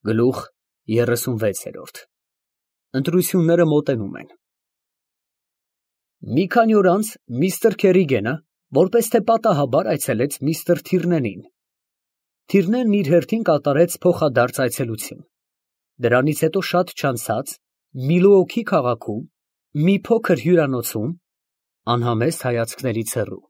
Գլուխ 36 Ընտրությունները մոտենում են։ Մի քանի օր անց միստր Քերիգենը որպես թե պատահաբար այցելեց միստր Թիրնենին։ Թիրնենն իր հերթին կատարեց փոխադարձ այցելություն։ Դրանից հետո շատ չանցած Միլուոքի քաղաքում մի փոքր հյուրանոցում անհամեստ հայացքներից հեռու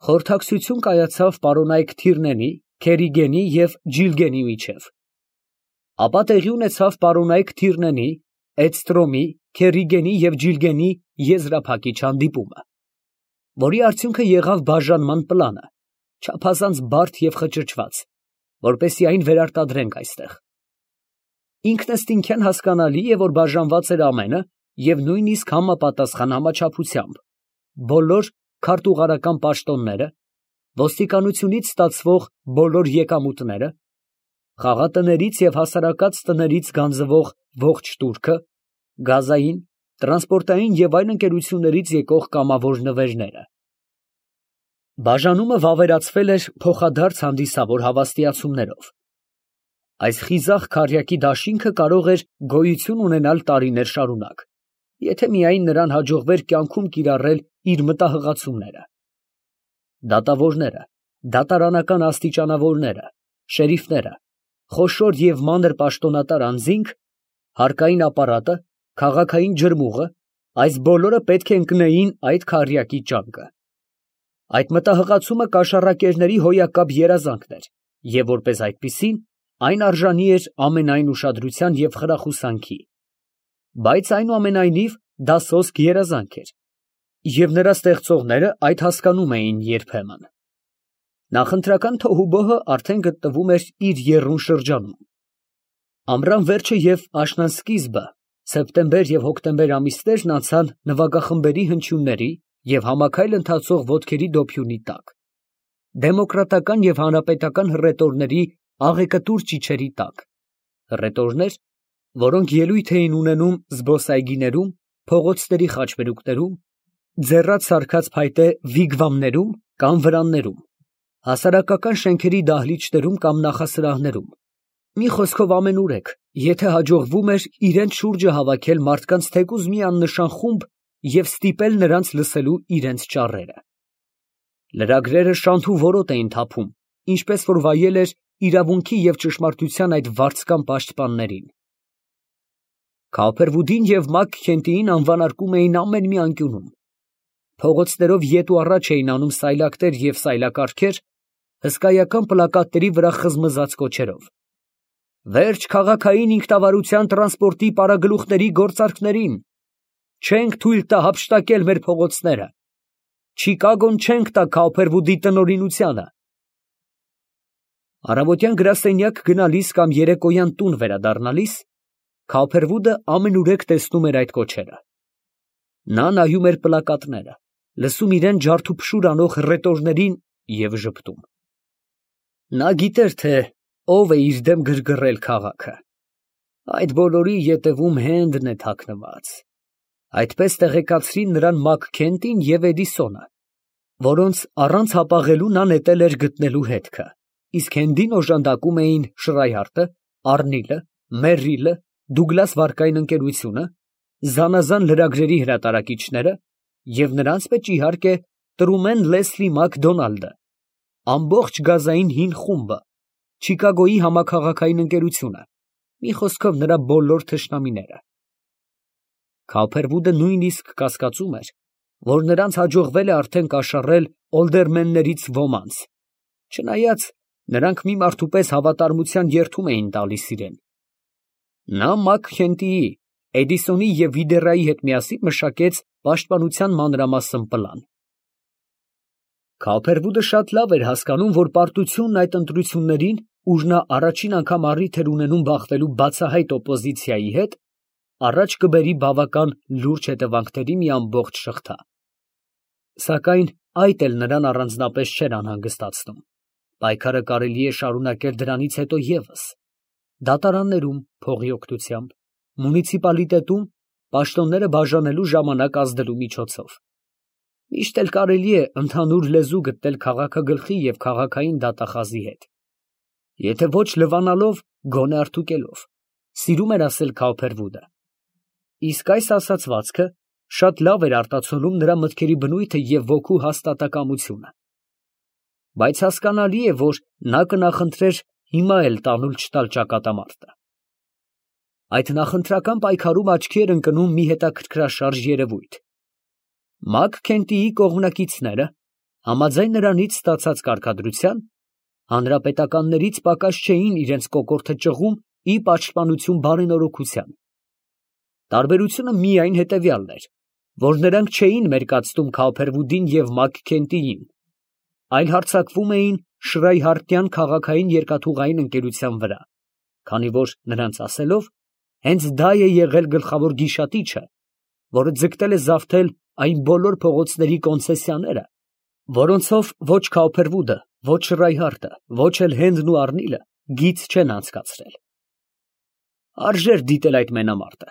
խորհրդակցություն կայացավ պարոնայք Թիրնենի, Քերիգենի և Ջիլգենի միջև։ Ապա տեղի ունեցավ պարոնայք Թիրնենի, Էդստրոմի, Քերիգենի և Ջիլգենի եզրափակիչ հանդիպումը, որի արդյունքը եղավ բաժանման պլանը, չափազանց բարդ և խճճված, որպեսզի այն վերարտադրենք այստեղ։ Ինքնըստինքյան հասկանալի է, որ բաժանված էր ամենը և նույնիսկ համապատասխան համաչափությամբ, բոլոր քարտուղարական պաշտոնները, ոստիկանությունից ստացվող բոլոր եկամուտները, խաղատներից և հասարակած տներից գանձվող ողջ տուրքը, գազային, տրանսպորտային և այլ ընկերություններից եկող կամավոր նվերները։ Բաժանումը վավերացվել էր փոխադարձ հանդիսավոր հավաստիացումներով։ Այս խիզախ քառյակի դաշինքը կարող էր գոյություն ունենալ տարիներ շարունակ, եթե միայն նրան հաջողվեր կյանքում կիրառել իր մտահղացումները։ Դատավորները, դատարանական աստիճանավորները, շերիֆները, խոշոր և մանր պաշտոնատար անձինք, հարկային ապարատը, քաղաքային ջրմուղը, այս բոլորը պետք է ընկնեին այդ քառյակի ճանկը։ Այդ մտահղացումը կաշառակերների հոյակապ երազանքն էր, և որպես այդպիսին, այն արժանի էր ամենայն ուշադրության և խրախուսանքի, բայց այնուամենայնիվ դա սոսկ երազանք էր, և նրա ստեղծողները այդ հասկանում էին երբեմն։ Նախընտրական թոհուբոհը արդեն գտնվում էր իր եռուն շրջանում։ Ամռան վերջը և աշնան սկիզբը, սեպտեմբեր և հոկտեմբեր ամիսներն անցան նվագախմբերի հնչյունների և համաքայլ ընթացող ոտքերի դոփյունի տակ, դեմոկրատական և հանրապետական հռետորների աղեկտուր ճիչերի տակ, հռետորներ, որոնք ելույթ էին ունենում զբոսայգիներում, փողոցների խաչմերուկներում, ձեռած սարքած փայտե վիգվամներում կամ վրաններում, հասարակական շենքերի դահլիճներում կամ նախասրահներում, մի խոսքով ամենուրեք, եթե հաջողվում էր իրենց շուրջը հավաքել մարդկանց թեկուզ մի աննշան խումբ և ստիպել նրանց լսելու իրենց ճառերը։ Լրագրերը շանթ ու որոտ էին թափում, ինչպես որ վայել էր իրավունքի և ճշմարտության այդ վարձկան պաշտպաններին։ Քափերվուդին և Մաքքենթիին անվանարկում էին ամեն մի անկյունում։ Փողոցներով ետ ու առաջ էին անում սայլակներ և սայլակառքեր, հսկայական պլակատների վրա խզմզաց կոչերով. «Վերջ քաղաքային ինքնավարության տրանսպորտի պարագլուխների գործարքներին, չենք թույլ տա հափշտակել մեր փողոցները, Չիկագոն չենք տա Քափերվուդի տնօրինությանը»։ Առավոտյան գրասենյակ գնալիս կամ երեկոյան տուն վերադառնալիս Քափերվուդը ամենուրեք տեսնում էր այդ կոչերը։ Նա նայում էր պլակատները, լսում իրան ջարդուփշուր անող հռետորներին և ժպտում։ Նա գիտեր, թե ով է իր դեմ գրգռել քաղաքը։ Այդ բոլորի ետևում Հենդն է թաքնված։ Այդպես տեղեկացրին նրան Մաքքենթին և Էդիսոնը, որոնց առանց հապաղելու նա նետել էր գտնելու հետքը, իսկ Հենդին օժանդակում էին Շրայհարտը, Արնիլը, Մերրիլը, Դուգլաս վարկային ընկերությունը, զանազան լրագրերի հրատարակիչները և նրանց մեջ, իհարկե, Տրումեն Լեսլի Մակդոնալդը, ամբողջ գազային հին խումբը, Չիկագոյի համաքաղաքային ընկերությունը, մի խոսքով նրա բոլոր թշնամիները։ Քափերվուդը նույնիսկ կասկածում էր, որ նրանց հաջողվել է արդեն կաշառել օլդերմեններից ոմանց, չնայած նրանք մի մարդու պես հավատարմության երդում էին տալիս իրան։ Նա Մաքքենթիի, Էդիսոնի և Վիդերայի հետ միասին մշակեց պաշտպանության մանրամասն պլան։ Քափերվուդը շատ լավ էր հասկանում, որ պարտությունն այդ ընտրություններին, ուր նա առաջին անգամ առիթ էր ունենում բախվելու բացահայտ օպոզիցիայի հետ, առաջ կբերի բավական լուրջ հետևանքների մի ամբողջ շղթա։ Սակայն այդ էլ նրան առանձնապես չէր անհանգստացնում։ Պայքարը կարելի է շարունակել դրանից հետո ևս. դատարաններում փողի օգնությամբ, մունիցիպալիտետում պաշտոնները բաժանելու ժամանակ ազդելու միջոցով։ Միշտ էլ կարելի է ընդհանուր լեզու գտնել քաղաքագլխի և քաղաքային դատախազի հետ։ Եթե ոչ լվանալով, գոնե արդուկելով, սիրում էր ասել Քավփերվուդը։ Իսկ այս ասացվածքը շատ լավ էր արտացոլում նրա մտքերի բնույթը և ոգու հաստատակամությունը։ Բայց հասկանալի է, որ նա կնախընտրեր հիմա էլ տանուլ չտալ ճակատամարտը։ Այդ նախընտրական պայքարում աչքի էր ընկնում մի հետաքրքրաշարժ երևույթ։ Մակ Քենտիի կողմնակիցները, համաձայն նրանից ստացած կարգադրության, հանրապետականներից պակաս չէին իրենց կոկորդը ճղում ի պաշտպանություն բարենորոգության։ Տարբերությունը միայն հետևյալն էր, որ նրանք չէին մերկացնում Քավփերվուդին և Մակ Քենտիին, այլ հարձակվում էին Շրայհարտյան քաղաքային երկաթուղային ընկերության վրա, քանի որ նրանց ասելով, հենց դա է եղել գլխավոր գիշատիչը, որը ձգտել է զավթել այն բոլոր փողոցների կոնցեսիաները, որոնցով ոչ Քավփերվուդը, ոչ Շրայհարտը, ոչ էլ Հենդն ու Արնիլը գիծ չեն անցկացրել։ Արժեր դիտել այդ մենամարտը։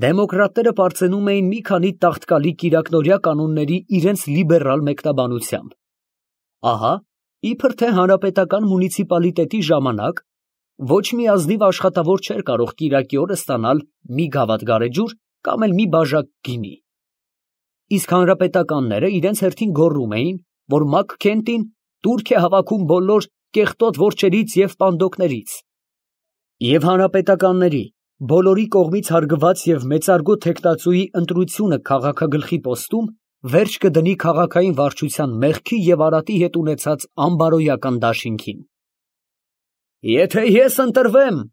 Դեմոկրատները պարծենում էին մի քանի տաղտկալի կիրակնօրյա կանոնների իրենց լիբերալ մեկնաբանությամբ։ Ահա, իբր թե հանրապետական մունիցիպալիտետի ժամանակ ոչ մի ազնիվ աշխատավոր չէր կարող կիրակի օրը ստանալ մի գավաթ գարեջուր կամ էլ մի բաժակ գինի։ Իսկ հանրապետականները իրենց հերթին գոռում էին, որ Մակ Քենտին տուրք է հավաքում բոլոր կեղտոտ որջերից և պանդոկներից։ Եվ հանրապետականների բոլորի կողմից հարգված և մեծարգո թեկնածուի ընտրությունը քաղաքագլխի պոստում վերջ կդնի քաղաքային վարչության մեղքի և արատի հետ ունեցած անբարոյական դաշինքին։ «Եթե ես ընտրվեմ, ֊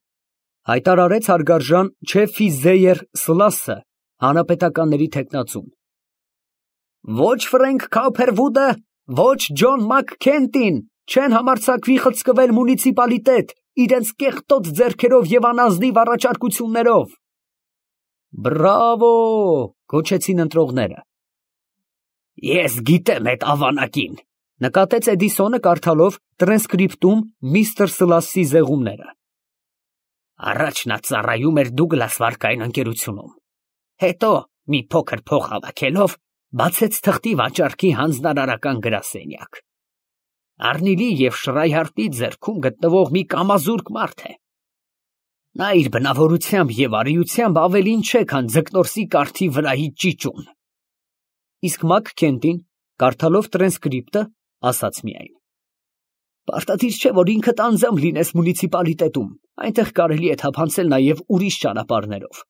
հայտարարեց հարգարժան Չեֆի Զեյեր Սլասը, հանրապետականների թեկնածուն, ֊ ոչ Ֆրենք Քավփերվուդը, ոչ Ջոն Մակ Քենտին չեն համարձակվի խցկվել մունիցիպալիտետ իրենց կեղտոտ ձեռքերով և անազնիվ առաջարկություններով»։ «Բրավո, ֊ գոչեցին ընտրողները։ ֊ Ես գիտեմ էդ ավանակին, ֊ նկատեց Էդիսոնը, կարդալով տրանսկրիպտում միստր Սլասի զեղումները։ Առաջ նա ծառայում էր Դուգլաս վարկային ընկերությունում, հետո մի փոքր փող հավաքելով բացեց թղթի վաճառքի հանձնարարական գրասենյակ։ Արնիլի և Շրայհարտի ձեռքում գտնվող մի կամազուրկ մարդ է։ Նա իր բնավորությամբ և արիությամբ ավելին չէ, քան ձկնորսի կարթի վրայի ճիճուն։ Իսկ Մակ Քենտին, կարդալով տրանսկրիպտը, ասաց միայն. Պարտադիր չէ, որ ինքդ անձամբ լինես մունիցիպալիտետում, այնտեղ կարելի է թափանցել նաև ուրիշ ճանապարհներով։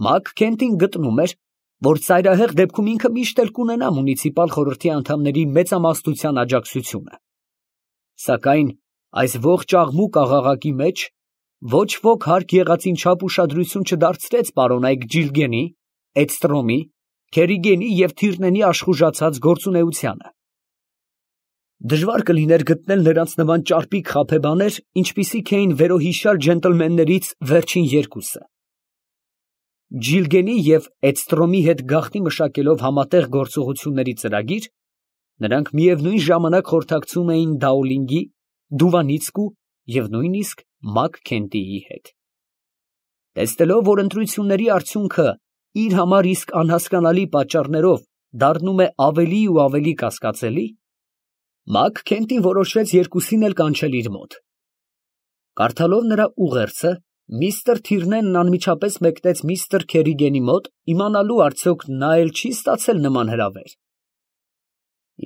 Մակ Քենտին գտնում էր, որ ծայրահեղ դեպքում ինքը միշտ էլ կունենա մունիցիպալ խորհրդի անդամների մեծամասնության աջակցությունը։ Սակայն այս ողջ աղմուկ աղաղակի մեջ ոչ ոք հարկ եղածին չափ ուշադրություն չդարձրեց պարոնայք Ջիլգենի, Էդստրոմի, Քերիգենի և Թիրնենի աշխուժացած գործունեությանը։ Դժվար կլիներ գտնել նրանց նման ճարպիկ խաբեբաներ, ինչպիսիք էին վերոհիշյալ ջենտլմեններից վերջին երկուսը։ Ջիլգենի և Էդստրոմի հետ գաղտնի մշակելով համատեղ գործողությունների ծրագիր, նրանք միևնույն ժամանակ խորհրդակցում էին Դաուլինգի, Դուվանիցկու և նույնիսկ Մակ Քենտիի հետ։ Տեսնելով, որ ընտրությունների արդյունքը իր համար իսկ անհասկանալի պատճառներով դառնում է ավելի ու ավելի կասկածելի, Մակ Քենտին որոշեց երկուսին էլ կանչել իր մոտ։ Կարդալով նրա ուղերձը, միստր Թիրնենն անմիջապես մեկնեց միստր Քերիգենի մոտ, իմանալու արդյոք նա էլ չի ստացել նման հրավեր։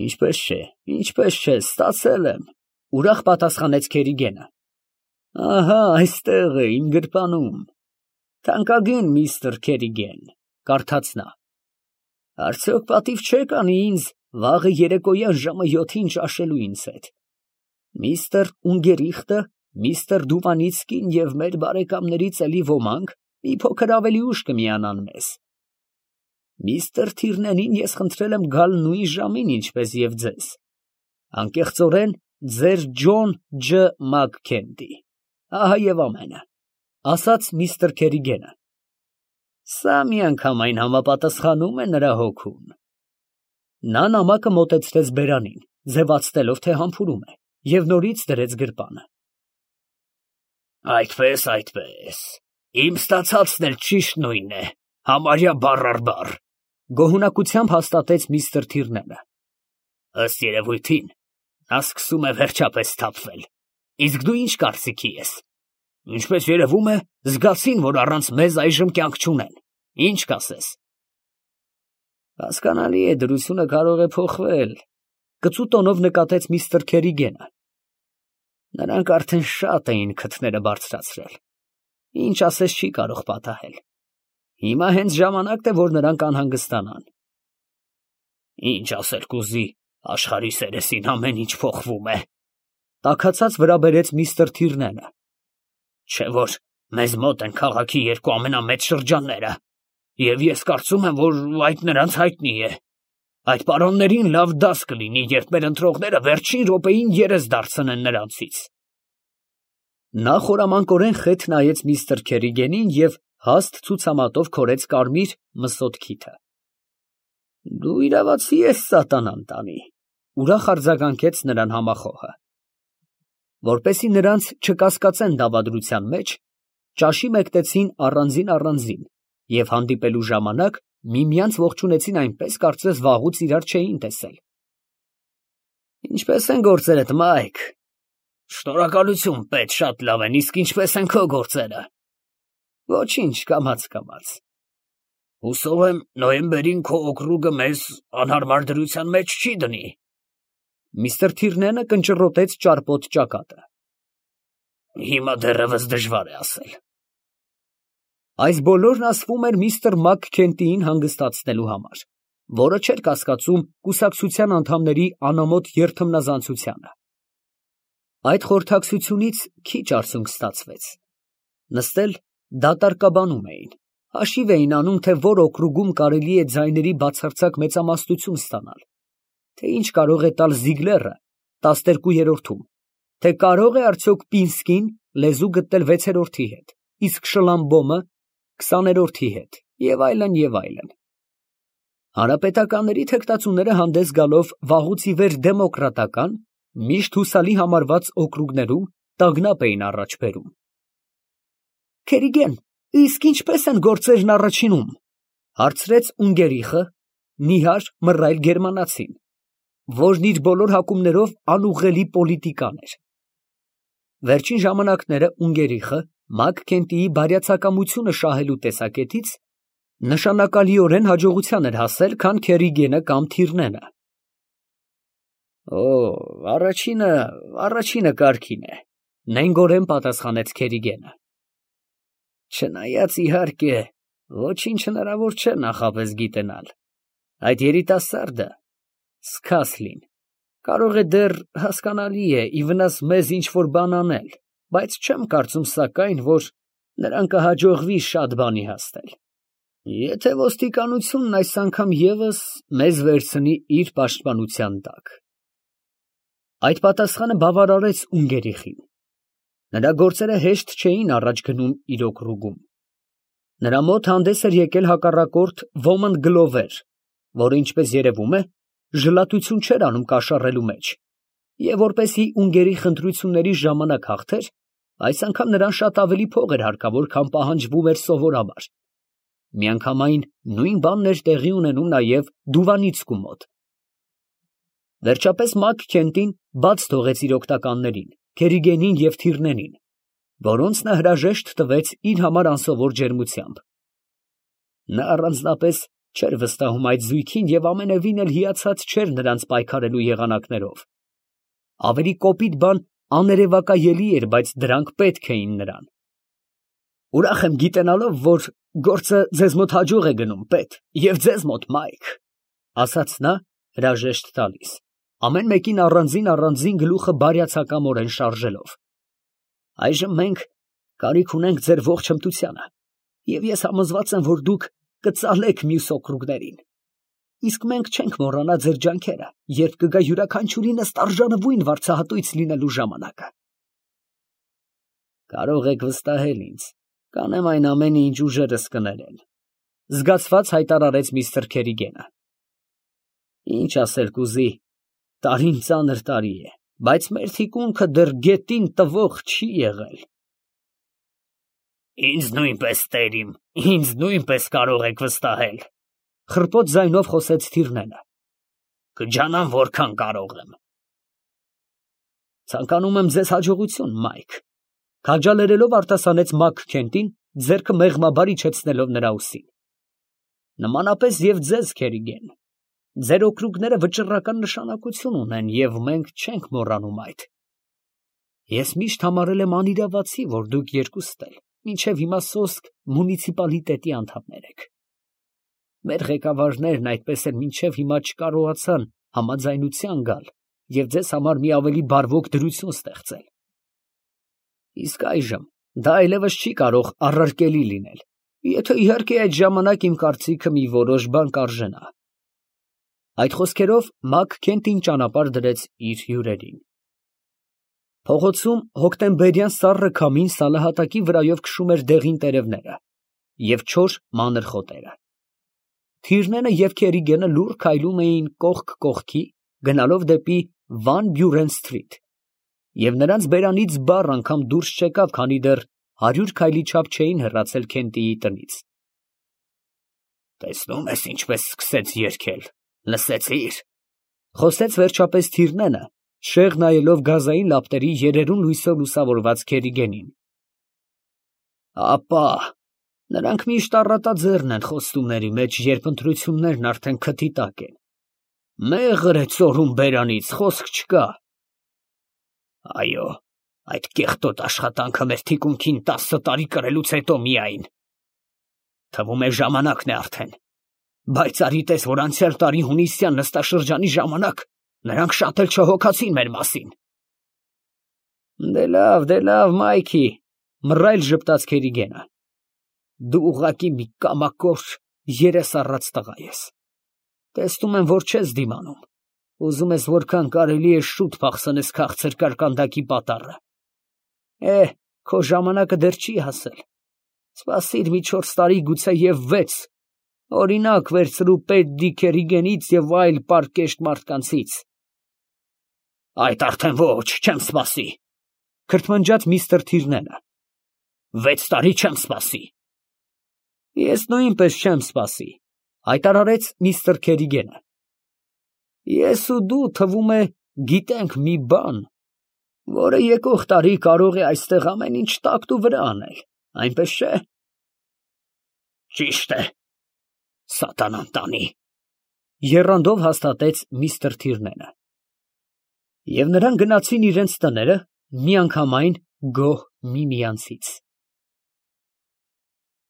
Ինչպես չէ, ստացել եմ, ֊ ուրախ պատասխանեց Քերիգենը։ Ահա այստեղ է իմ գրպանում։ Թանկագին միստր Քերիգեն, ֊ կարդաց նա, ֊ արդյոք պատիվ չեք անի ինձ վաղը երեկոյան ժամը 7-ին ճաշելու ինձ հետ։ Միստր Ունգերիխտը, միստր Դուվանիցկին և մեր բարեկամներից էլի ոմանք մի փոքր ավելի ուշ կմիանան մեզ։ Միստր Թիրնենին ես խնդրել եմ գալ նույն ժամին, ինչպես և ձեզ։ Անկեղծորեն, ձեր Ջոն Ջ. Մակ Քենտի։ Ահա և ամենը, ֊ ասաց միստր Քերիգենը։ Սա միանգամայն համապատասխանում է նրա հոգուն։ Նա նամակը մոտեցրեց բերանին, ձևացնելով, թե համբուրում է, և նորից դրեց գրպանը։ Այդպես, իմ ստացածն էլ ճիշտ նույնն է, համարյա բառ առ բառ, ֊ գոհունակությամբ հաստատեց միստր Թիրնենը։ Ըստ երևույթին, նա սկսում է վերջապես սթափվել։ Իսկ դու ինչ կարծիքի ես։ Ինչպես երևում է, զգացին, որ առանց մեզ այժմ կյանք չունեն։ Ինչ կասես։ Հասկանալի է, դրությունը կարող է փոխվել, կծու տոնով նկատեց միստր Քերիգենը։ Նրանք արդեն շատ էին քթները բարձրացրել։ Ինչ ասես չի կարող պատահել։ Հիմա հենց ժամանակն է, որ նրանք անհանգստանան։ Ինչ ասել կուզի, աշխարհի սերեսին ամեն ինչ փոխվում է։ Տաքացած վրա բերեց միստր Թիրնենը։ Չէ՞ որ մեզ մոտ են քաղաքի երկու ամենամեծ շրջանները, և ես կարծում եմ, որ այդ նրանց հայտնի է։ Այդ պարոններին լավ դաս կլինի, երբ մեր ընտրողները վերջին րոպեին երես դարձնեն նրանցից։ Նա խորամանկորեն խեթ նայեց միստր Քերիգենին և հաստ ցուցամատով քորեց կարմիր մսոտ քիթը։ Դու իրավացի ես սատանան տանի, ուրախ արձագանքեց նրան համախոհը։ Որպեսզի նրանց չկասկածեն դավադրության մեջ, ճաշի մեկտեցին առանձին և հանդիպելու ժամանակ միմյանց ողջունեցին այնպես, կարծես վաղուց իրար չէին տեսել։ Ինչպե՞ս են գործերդ, Մայք։ Շնորհակալություն, պետ, շատ լավ են, իսկ ինչպե՞ս են քո գործերը։ Ոչինչ, կամաց։ Հուսով եմ, նոյեմբերին քո օկրուգը մեզ անհարմար դրության մեջ չի դնի։ Միստր Թիրնենը կնճռոտեց ճարպոտ ճակատը։ Հիմա դեռևս դժվար է ասել։ Այս բոլորն ասվում էր միստր Մաքքենթիին հանգստացնելու համար, որը չէր կասկածում կուսակցության անդամների անամոթ երթմնազանցությանը։ Այդ խորհրդակցությունից քիչ արցունք ստացվեց։ Նստել դատարկաբանում էին, հաշիվ էին անում, թե որ օկրուգում կարելի է ձայների բացարձակ մեծամասնություն ստանալ, թե ինչ կարող է տալ Զիգլերը 12-րդում, թե կարող է արդյոք Պինսկին լեզու գտնել 6-րդի հետ, իսկ Շլամբոմը 20-րդի հետ, և այլն։ Հանրապետականների թեկնածուները հանդես գալով վաղուց ի վեր դեմոկրատական, միշտ հուսալի համարված օկրուգներում տագնապ էին առաջ բերում։ Քերիգեն, իսկ ինչպե՞ս են գործերն առաջինում, հարցրեց Ունգերիխը, նիհար մռայլ գերմանացին, որն իր բոլոր հակումներով անուղղելի պոլիտիկան էր։ Վերջին ժամանակները Ունգերիխը Մաքքենթիի բարյացակամությունը շահելու տեսակետից նշանակալիորեն հաջողության էր հասել, քան Քերիգենը կամ Թիրնենը։ Առաջինը կարգին է, նենգորեն պատասխանեց Քերիգենը։ Չնայած իհարկե, ոչինչ հնարավոր չէ նախապես գիտենալ։ Այդ երիտասարդը Սկասլին կարող է դեռ հասկանալի է ի վնաս մեզ ինչ-որ բան անել, բայց չեմ կարծում սակայն, որ նրան կհաջողվի շատ բանի հասնել, եթե ոստիկանությունն այս անգամ ևս մեզ վերցնի իր պաշտպանության տակ։ Այդ պատասխանը բավարարեց Ունգերիխին։ Նրա գործերը հեշտ չէին առաջ գնում իր օկրուգում։ Նրա մոտ հանդես էր եկել հակառակորդ ոմն Գլովեր, որը, ինչպես երևում է, ժլատություն չէր անում կաշառելու մեջ, և որպեսզի Ունգերիխ ընտրությունների ժամանակ հաղթեր, այս անգամ նրան շատ ավելի փող էր հարկավոր, քան պահանջվում էր սովորաբար։ Միանգամայն նույն բանն էր տեղի ունենում նաև Դուվանիցկու մոտ։ Վերջապես Մաքքենթին բաց թողեց իր օգնականներին, Քերիգենին և Թիրնենին, որոնց նա հրաժեշտ տվեց իր համար անսովոր ջերմությամբ։ Նա առանձնապես չէր վստահում այդ զույգին և ամենևին էլ հիացած չէր նրանց պայքարելու եղանակներով։ Ավելի կոպիտ բան աներևակայելի էր, բայց դրանք պետք էին նրան։ Ուրախ եմ գիտենալով, որ գործը ձեզ մոտ հաջող է գնում, պետ, և ձեզ մոտ, Մայք, ասաց նա հրաժեշտ տալիս, ամեն մեկին առանձին գլուխը բարյացակամորեն շարժելով։ Այժմ մենք կարիք ունենք ձեր ողջ հմտությանը, և ես համոզված եմ, որ դուք կծալեք մյուս օկրուգներին, իսկ մենք չենք մոռանա ձեր ջանքերը, երբ կգա յուրաքանչյուրինս տարժանվույն վարձահատույց լինելու ժամանակը։ Կարող եք վստահել ինձ, կանեմ այն ամենը, ինչ ուժերս կներեն, զգացված հայտարարեց միստր Քերիգենը։ Ինչ ասել կուզի, տարին ծանր տարի է, բայց մեր թիկունքը դեռ գետին տվող չի եղել։ Ինձ նույնպես, տերիմ, ինձ նույնպես կարող եք վստահել, խռպոտ ձայնով խոսեց Թիրնենը։ Կջանամ, որքան կարող եմ։ Ցանկանում եմ ձեզ հաջողություն, Մայք։ Քաջալերելով արտասանեց Մակ Քենտին, ձեռքը մեղմաբար իջեցնելով նրա ուսին։ Նմանապես և ձեզ, Քերիգեն, ձեր օգնուկները վճռական նշանակություն ունեն, և մենք չենք մոռանում այդ։ Ես միշտ համարել եմ անիրավացի, որ դուք երկուստ էլ մինչև հիմա սոսկ մունիցիպալիտետի անդամներ եք։ Մեր ղեկավարներն այդպես էլ մինչև հիմա չկարողացան համաձայնության գալ և ձեզ համար մի ավելի բարվոք դրություն ստեղծել։ Իսկ այժմ դա այլևս չի կարող առարկելի լինել, եթե իհարկե այդ ժամանակ իմ կարծիքը մի որոշ բան կարժենա։ Այդ խոսքերով Մակ Քենտին ճանապարհ դրեց իր հյուրերին։ Փողոցում հոկտեմբերյան սառը քամին սալահատակի վրայով քշում էր դեղին տերևները և չոր մանր խոտերը։ Թիրնենը և Քերիգենը լուռ քայլում էին կողք կողքի, գնալով դեպի Վան Բյուրեն սթրիթ, և նրանց բերանից բառ անգամ դուրս չեկավ, քանի դեռ 100 քայլի չափ չէին հեռացել Քենտիի տնից։ «Տեսնում ես ինչպես սկսեց երգել, լսեցի՞ր», ֊ խոսեց վերջապես Թիրնենը, շեղ նայելով գազային լապտերի երերուն լույսով լուսավորված Քերիգենին։ Ապա, նրանք միշտ առատաձեռն են խոստումների մեջ, երբ ընտրություններն արդեն քթի տակ են։ Մեղր է ծորում բերանից, խոսք չկա։ Այո, այդ կեղտոտ աշխատանքը մեր թիկունքին 10 տարի կրելուց հետո միայն։ Թվում է ժամանակն է արդեն։ Բայց արի տես, որ անցյալ տարի հունիսյան նստաշրջանի ժամանակ նրանք շատ էլ չհոգացին մեր մասին։ Դե լավ, Մայքի, մռայլ ժպտաց Քերիգենը։ Դու ուղղակի մի կամակոր երես առած տղա ես։ Տեսնում եմ, որ չես դիմանում։ Ուզում ես որքան կարելի է շուտ փախցնես քաղցր կարկանդակի պատառը։ Քո ժամանակը դեռ չի հասել։ Սպասիր մի 4 տարի, գուցե և 6, օրինակ վերցրու Պետդի Քերիգենից և այլ պարկեշտ մարդկանցից։ Այդ արդեն ոչ, չեմ սպասի, քրթմնջաց միստր Թիրնենը։ 6 տարի չեմ սպասի։ Ես նույնպես չեմ սպասի, հայտարարեց միստր Քերիգենը։ Ես ու դու, թվում է, գիտենք մի բան, որը եկող տարի կարող է այստեղ ամեն ինչ տակտու վրա անել, այնպես չէ։ Ճիշտ է, սատանան տանի, եռանդով հաստատեց միստր Թիրնենը։ Եվ նրանք գնացին իրենց տները, միանգամայն գոհ միմյանցից։